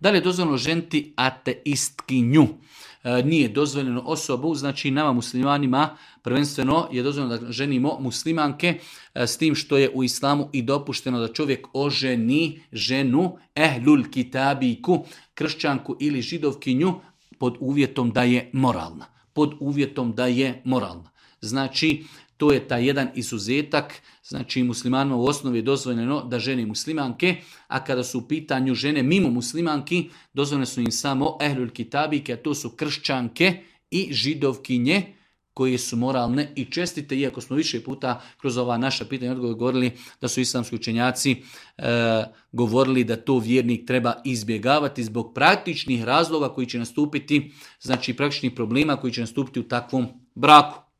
Da li je dozvoljeno ženiti ateistkinju? Nije dozvoljeno osobu, znači nama muslimanima prvenstveno je dozvoljeno da ženimo muslimanke, s tim što je u islamu i dopušteno da čovjek oženi ženu ehlul kitabiku, kršćanku ili židovkinju, pod uvjetom da je moralna. Pod uvjetom da je moralna. Znači, to je taj jedan izuzetak, znači muslimanima u osnovi je dozvoljeno da žene muslimanke, a kada su u pitanju žene mimo muslimanki, dozvoljene su im samo ehlul kitabike, a to su kršćanke i židovkinje koje su moralne i čestite, iako smo više puta kroz ova naša pitanja i odgovor govorili da su islamski učenjaci govorili da to vjernik treba izbjegavati zbog praktičnih razloga koji će nastupiti, znači praktičnih problema koji će nastupiti u takvom braku.